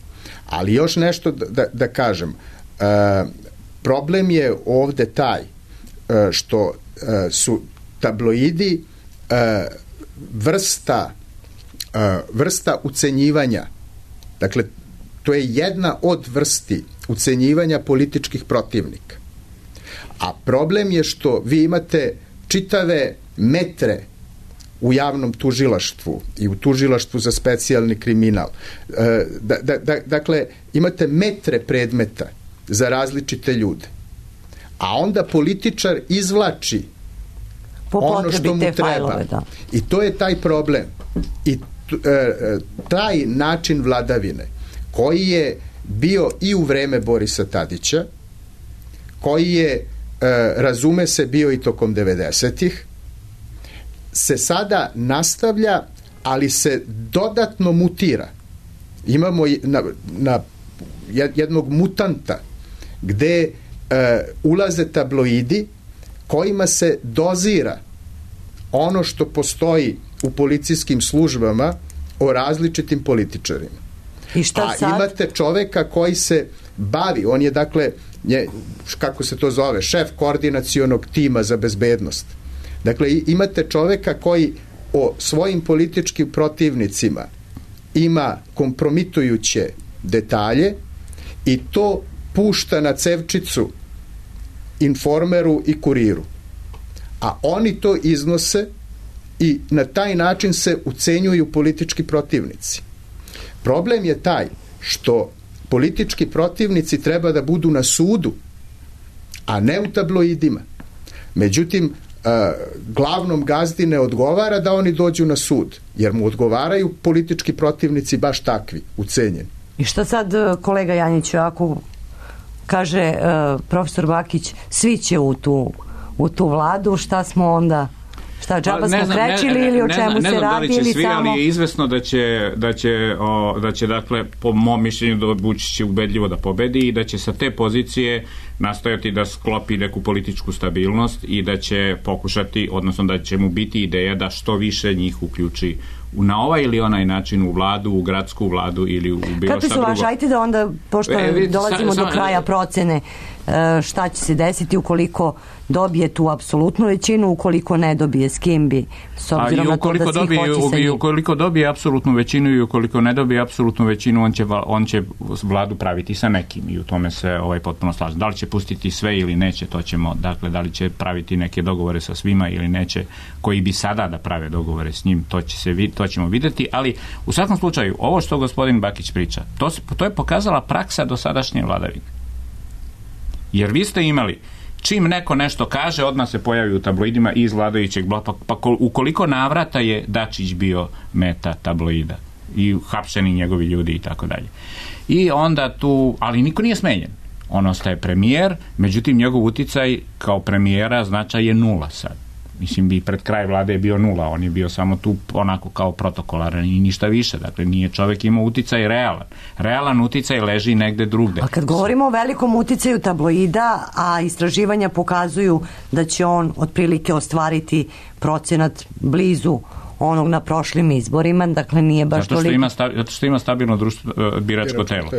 Ali još nešto da kažem. Problem je ovde taj što su tabloidi vrsta ucenjivanja. Dakle, to je jedna od vrsti ucenjivanja političkih protivnika. A problem je što vi imate čitave metre u javnom tužilaštvu i u tužilaštvu za specijalni kriminal. Dakle, imate metre predmeta za različite ljude. A onda političar izvlači ono što mu treba. Fajlove, da. I to je taj problem. I taj način vladavine koji je bio i u vreme Borisa Tadića, koji je, razume se, bio i tokom 90-ih, se sada nastavlja, ali se dodatno mutira. Imamo na jednog mutanta gde ulaze tabloidi kojima se dozira ono što postoji u policijskim službama o različitim političarima. I šta sad? Imate čoveka koji se bavi, on je dakle, kako se to zove, šef koordinacionog tima za bezbednost. Dakle, imate čoveka koji o svojim političkim protivnicima ima kompromitujuće detalje i to pušta na cevčicu Informeru i Kuriru. A oni to iznose i na taj način se ucenjuju politički protivnici. Problem je taj što politički protivnici treba da budu na sudu, a ne u tabloidima. Međutim, glavnom gazdi ne odgovara da oni dođu na sud, jer mu odgovaraju politički protivnici baš takvi, ucenjeni. I šta sad, kolega Janjiću, ako kaže profesor Bakić, svi će u tu vladu, šta smo onda, šta džaba smo krečili ili o čemu se radi ili svi, samo... ali je izvesno da će dakle, po mom mišljenju, da Vučić će ubedljivo da pobedi i da će sa te pozicije nastojati da sklopi neku političku stabilnost i da će pokušati, odnosno da će mu biti ideja da što više njih uključi na ovaj ili onaj način u vladu, u gradsku vladu ili u bilo šta drugo. Kakvi su ajte da onda, pošto dolazimo do kraja procene, šta će se desiti ukoliko dobije tu apsolutnu većinu, ukoliko ne dobije, s kim bi, s obzirom na to da svi hoće sa njim. Ukoliko dobije apsolutnu većinu i ukoliko ne dobije apsolutnu većinu, on će vladu praviti sa nekim i u tome se potpuno slažem. Da li će pustiti sve ili neće, to ćemo, dakle, da li će praviti neke dogovore sa svima ili neće, koji bi sada da prave dogovore s njim, to ćemo videti, ali u svakom slučaju, ovo što gospodin Bakić priča, to je pokazala praksa dosadašnje vladavine. Jer vi ste imali, čim neko nešto kaže, odmah se pojavi u tabloidima iz vladajućeg bloka, pa ukoliko navrata je Dačić bio meta tabloida. i hapšeni njegovi ljudi i tako dalje. I onda tu, ali niko nije smenjen. On ostaje premijer, međutim njegov uticaj kao premijera značaj je 0 sad. Mislim, bi pred kraj vlade je bio 0, on je bio samo tu onako kao protokolaran i ništa više. Dakle, nije čovjek imao uticaj realan. Realan uticaj leži negde drugde. A kad govorimo o velikom uticaju tabloida, a istraživanja pokazuju da će on otprilike ostvariti procenat blizu onog na prošlim izborima, dakle nije baš toliko. Zato što ima stabilno društvo, biračko telo.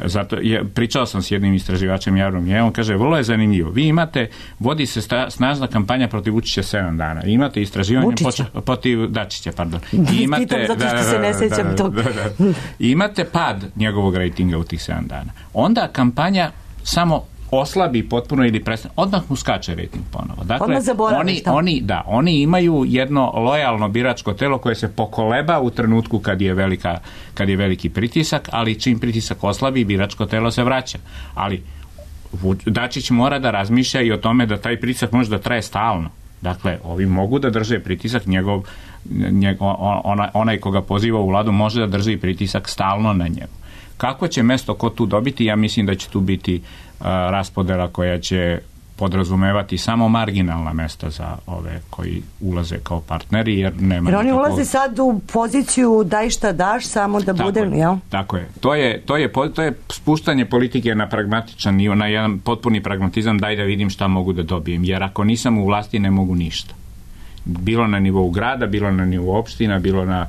Zato pričao sam s jednim istraživačem javnog mnjenja, on kaže, vrlo je zanimljivo. Vi imate, vodi se snažna kampanja protiv Vučića 7 dana. Imate istraživanje protiv Dačića, pardon. Imate, zato što se ne sećam tog. Imate pad njegovog rejtinga u tih 7 dana. Onda kampanja samo oslabi potpuno ili prestane, odmah mu skače rejting ponovo. Dakle, oni imaju jedno lojalno biračko telo koje se pokoleba u trenutku kad je veliki pritisak, ali čim pritisak oslabi, biračko telo se vraća. Ali Dačić mora da razmišlja i o tome da taj pritisak može da traje stalno. Dakle, ovi mogu da drže pritisak, onaj koga poziva u vladu može da drži pritisak stalno na njegu. Kako će mesto ko tu dobiti? Ja mislim da će tu biti raspodela koja će podrazumevati samo marginalna mesta za ove koji ulaze kao partneri, jer nema... Jer oni ulaze sad u poziciju daj šta daš, samo da bude... Jel? Tako je. To je spuštanje politike na pragmatičan nivo, na jedan potpuni pragmatizam, daj da vidim šta mogu da dobijem, jer ako nisam u vlasti ne mogu ništa. Bilo na nivou grada, bilo na nivou opština, bilo na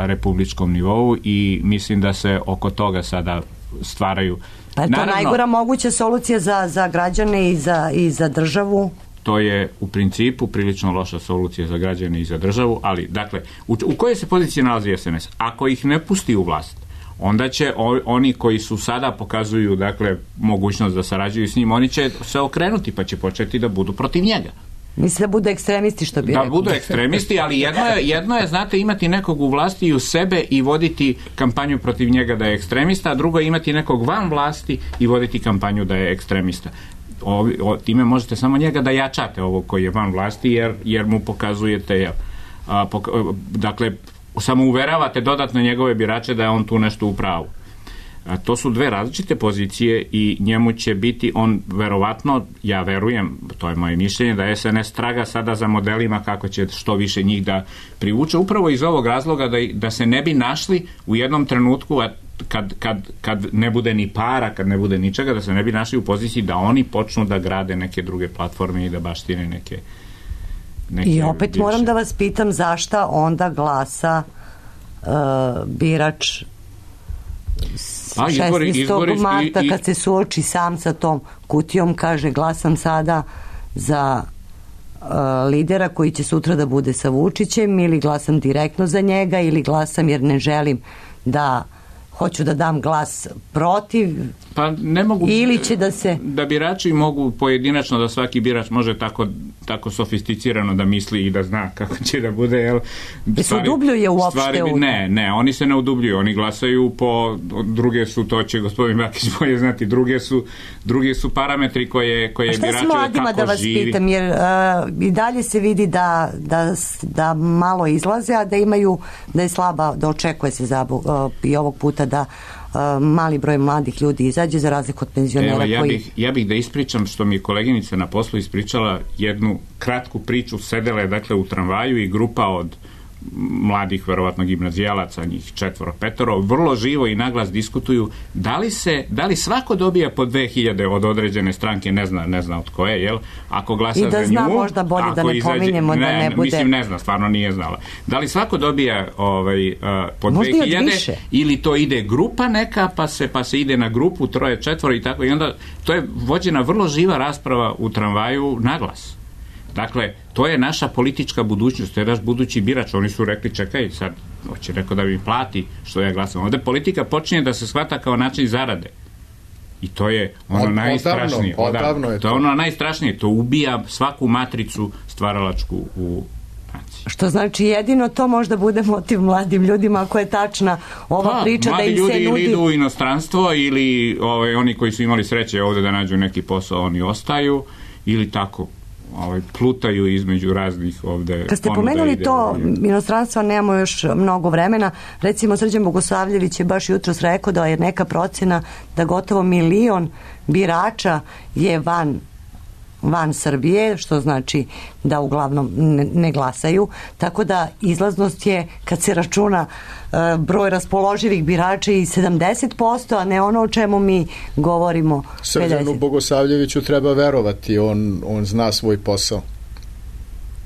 republičkom nivou i mislim da se oko toga sada stvaraju. Pa je to najgora moguća solucija za građane i za državu? To je u principu prilično loša solucija za građane i za državu, ali dakle, u kojoj se poziciji nalazi SNS? Ako ih ne pusti u vlast, onda će oni koji su sada pokazuju dakle mogućnost da sarađuju s njim, oni će se okrenuti pa će početi da budu protiv njega. Mislim da budu ekstremisti, što bi rekao. Da budu ekstremisti, ali jedno je, znate, imati nekog u vlasti i u sebe i voditi kampanju protiv njega da je ekstremista, a drugo je imati nekog van vlasti i voditi kampanju da je ekstremista. Time možete samo njega da jačate ovog koji je van vlasti, jer mu pokazujete, dakle, samo uveravate dodatno njegove birače da je on tu nešto u pravu. To su dve različite pozicije i njemu će biti, on verovatno, ja verujem, to je moje mišljenje, da SNS traga sada za modelima kako će što više njih da privuče, upravo iz ovog razloga da se ne bi našli u jednom trenutku, kad ne bude ni para, kad ne bude ničega, da se ne bi našli u poziciji da oni počnu da grade neke druge platforme i da baštine neke I opet bivše. Moram da vas pitam zašta onda glasa birač 16. marta kad se suoči sam sa tom kutijom, kaže glasam sada za lidera koji će sutra da bude sa Vučićem, ili glasam direktno za njega, ili glasam jer ne želim da hoću da dam glas protiv, pa ne mogu, ili će da se... Da birači mogu pojedinačno, da svaki birač može tako sofisticirano da misli i da zna kako će da bude, jel? Se udubljuje uopšte? Ne, oni se ne udubljuju, oni glasaju po, druge su, to će gospodin Bakić bolje znati, druge su parametri koje birače kako živi. A šta s mladima, da vas pitam, jer i dalje se vidi da malo izlaze, a da je slaba, da očekuje se i ovog puta da mali broj mladih ljudi izađe, za razliku od penzionera. Ja bih da ispričam što mi je koleginica na poslu ispričala jednu kratku priču. Sedela je dakle u tramvaju i grupa od mladih, verovatno gimnazijalaca, njih 4-5, vrlo živo i naglas diskutuju da li svako dobija po 2000 od određene stranke, ne zna od koje, jel? Ako glasa za nju, i da zna možda bolje da ne pominjemo, da ne bude... Mislim, ne zna, stvarno nije znala. Da li svako dobija po 2000 ili to ide grupa neka, pa se ide na grupu 3-4 i tako, i onda to je vođena vrlo živa rasprava u tramvaju naglas. Dakle, to je naša politička budućnost, to je naš budući birač. Oni su rekli, čekaj, sad hoće neko da mi plati što ja glasam. Ovde politika počinje da se shvata kao način zarade. I to je ono najstrašnije. To je ono najstrašnije. To ubija svaku matricu stvaralačku u naciji. Što znači jedino to možda bude motiv mladim ljudima, ako je tačna ova priča da im se nudi... Mladi ljudi ili idu u inostranstvo, ili oni koji su imali sreće ovde da nađu neki posao, oni ostaju, ili tako. plutaju između raznih ovde. Kad ste pomenuli to inostranstva, nemamo još mnogo vremena. Recimo, Srđan Bogosavljević je baš jutros rekao da je neka procena da gotovo 1 milion birača je van Srbije, što znači da uglavnom ne glasaju, tako da izlaznost je, kad se računa broj raspoloživih birača, i 70%, a ne ono o čemu mi govorimo. Srđanu Bogosavljeviću treba verovati, on zna svoj posao.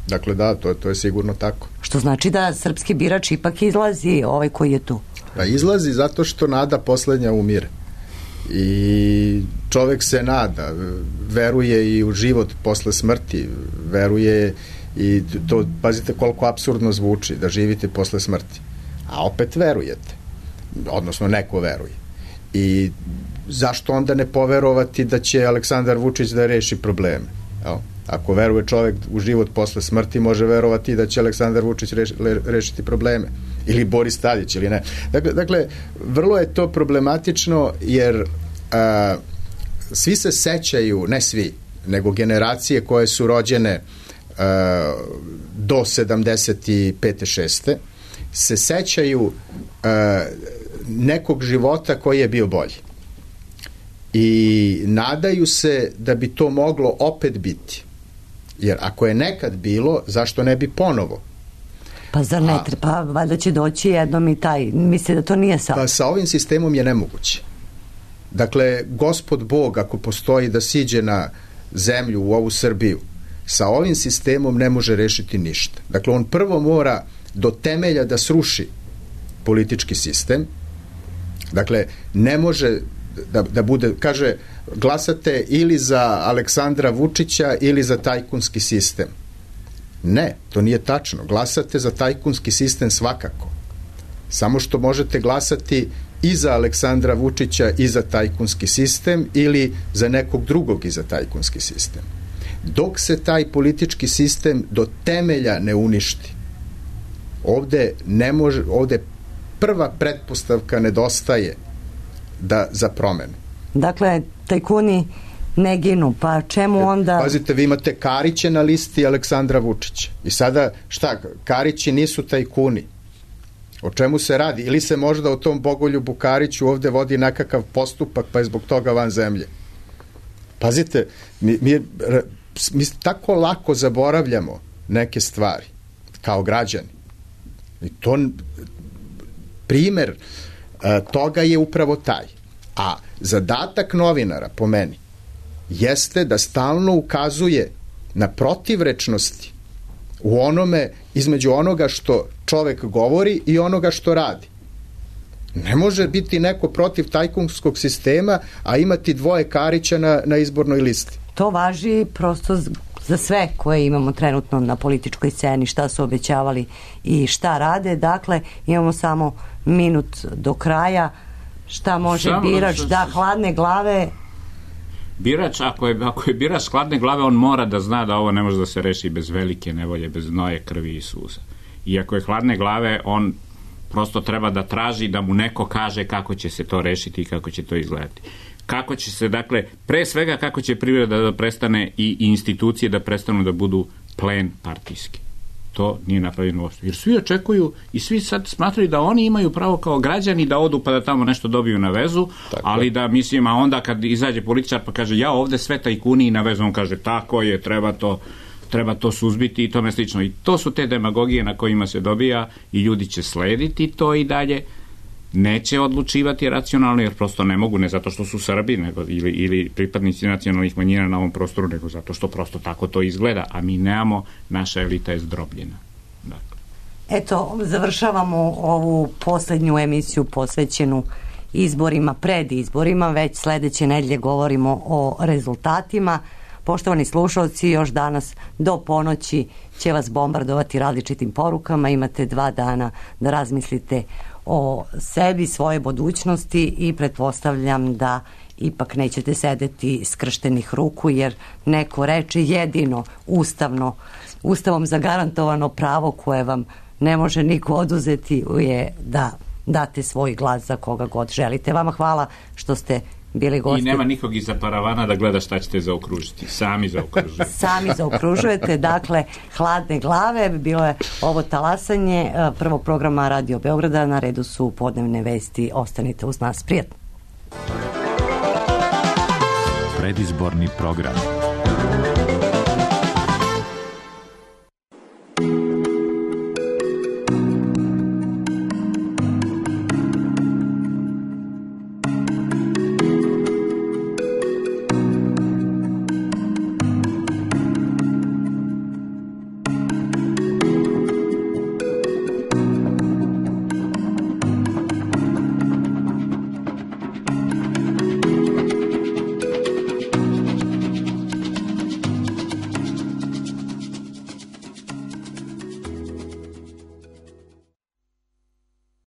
Dakle, da, to je sigurno tako. Što znači da srpski birač ipak izlazi, ovaj koji je tu. Pa izlazi zato što nada poslednja umire. I čovek se nada, veruje i u život posle smrti, veruje i to, pazite koliko apsurdno zvuči da živite posle smrti, a opet verujete, odnosno neko veruje. I zašto onda ne poverovati da će Aleksandar Vučić da reši probleme? Ako veruje čovek u život posle smrti, može verovati da će Aleksandar Vučić rešiti probleme. Ili Boris Tadić, ili ne. Dakle, vrlo je to problematično, jer svi se sećaju, ne svi, nego generacije koje su rođene do 75. 6. se sećaju nekog života koji je bio bolji. I nadaju se da bi to moglo opet biti. Jer ako je nekad bilo, zašto ne bi ponovo? Pa zar ne treba, pa valjda će doći jednom i taj, misli da to nije sad. Pa sa ovim sistemom je nemoguće. Dakle, Gospod Bog, ako postoji da siđe na zemlju u ovu Srbiju, sa ovim sistemom ne može rešiti ništa. Dakle, on prvo mora do temelja da sruši politički sistem. Dakle, ne može da bude, kaže, glasate ili za Aleksandra Vučića ili za tajkunski sistem. Ne, to nije tačno. Glasate za tajkunski sistem svakako. Samo što možete glasati i za Aleksandra Vučića i za tajkunski sistem ili za nekog drugog i za tajkunski sistem. Dok se taj politički sistem do temelja ne uništi, ovde prva pretpostavka nedostaje za promenu. Dakle, tajkuni ne ginu, pa čemu onda... Pazite, vi imate Karića na listi Aleksandra Vučića. I sada, šta, Karići nisu tajkuni. O čemu se radi? Ili se možda o tom Bogoljubu Kariću ovde vodi nekakav postupak, pa je zbog toga van zemlje. Pazite, mi tako lako zaboravljamo neke stvari, kao građani. I to, primer toga je upravo taj. A zadatak novinara, po meni, jeste da stalno ukazuje na protivrečnosti u onome, između onoga što čovek govori i onoga što radi. Ne može biti neko protiv tajkunskog sistema, a imati dvoje Karića na izbornoj listi. To važi prosto za sve koje imamo trenutno na političkoj sceni, šta su obećavali i šta rade. Dakle, imamo samo minut do kraja. Šta može birač da hladne glave? Birač, ako je birač hladne glave, on mora da zna da ovo ne može da se reši bez velike nevolje, bez znoje, krvi i suza. I ako je hladne glave, on prosto treba da traži da mu neko kaže kako će se to rešiti i kako će to izgledati. Kako će se, dakle, pre svega kako će privreda da prestane i institucije da prestanu da budu plen partijski. To nije napravljeno uopšte. Jer svi očekuju i svi sad smatraju da oni imaju pravo kao građani da odu pa da tamo nešto dobiju na vezu, tako, ali da, mislim, a onda kad izađe političar pa kaže ja ovde sve tajkuni i na vezu, on kaže tako je, treba to suzbiti i tome slično. I to su te demagogije na kojima se dobija i ljudi će slediti to i dalje. Neće odlučivati racionalno, jer prosto ne mogu, ne zato što su Srbi ili pripadnici nacionalnih manjina na ovom prostoru, nego zato što prosto tako to izgleda, a mi nemamo, naša elita je zdrobljena. Dakle. Eto, završavamo ovu poslednju emisiju posvećenu izborima, pred izborima, već sledeće nedelje govorimo o rezultatima. Poštovani slušalci, još danas do ponoći će vas bombardovati različitim porukama, imate 2 dana da razmislite o sebi, svoje budućnosti i pretpostavljam da ipak nećete sedeti skrštenih ruku, jer neko reče jedino ustavom zagarantovano pravo koje vam ne može niko oduzeti je da date svoj glas za koga god želite. Vama hvala što ste bili gosti. I nema nikog iza paravana da gleda šta ćete zaokružiti. Sami zaokružujete. Sami zaokružujete, dakle, hladne glave, bilo je ovo talasanje prvog programa Radio Beograda, na redu su podnevne vesti, ostanite uz nas, prijatno. Predizborni program.